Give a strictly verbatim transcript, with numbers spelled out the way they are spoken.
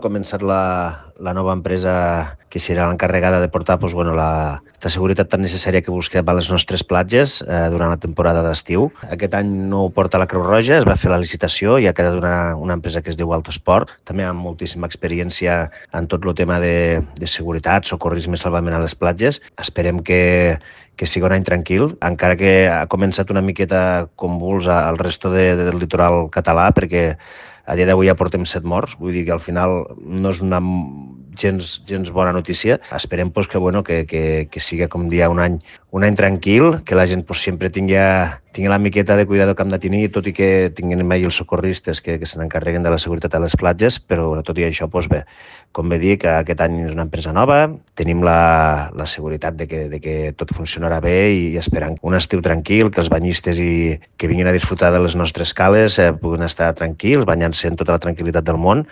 Ha començat la, la nova empresa que serà l'encarregada de portar doncs, bueno, la, la seguretat tan necessària que busquem a les nostres platges eh, durant la temporada d'estiu. Aquest any no ho porta la Creu Roja, es va fer la licitació i ha quedat una, una empresa que es diu Autosport, també amb moltíssima experiència en tot el tema de, de seguretat, socorrisme i salvament a les platges. Esperem que, que sigui un any tranquil, encara que ha començat una miqueta convuls al resto de, del litoral català, perquè a dia d'avui ja portem set morts, vull dir que al final no és una gens, gens bona notícia. Esperem pues, que, bueno, que, que, que sigui, com dia, un any, un any tranquil, que la gent pues, sempre tingui, tingui la miqueta de cuidado que hem de tenir, tot i que tinguin mai els socorristes que, que se n'encarreguen de la seguretat a les platges, però bueno, tot i això, pues, bé, com bé dic, aquest any és una empresa nova, tenim la, la seguretat de que, de que tot funcionarà bé i esperant un estiu tranquil, que els banyistes i, que vinguin a disfrutar de les nostres cales eh, puguin estar tranquils, banyant-se en tota la tranquil·litat del món.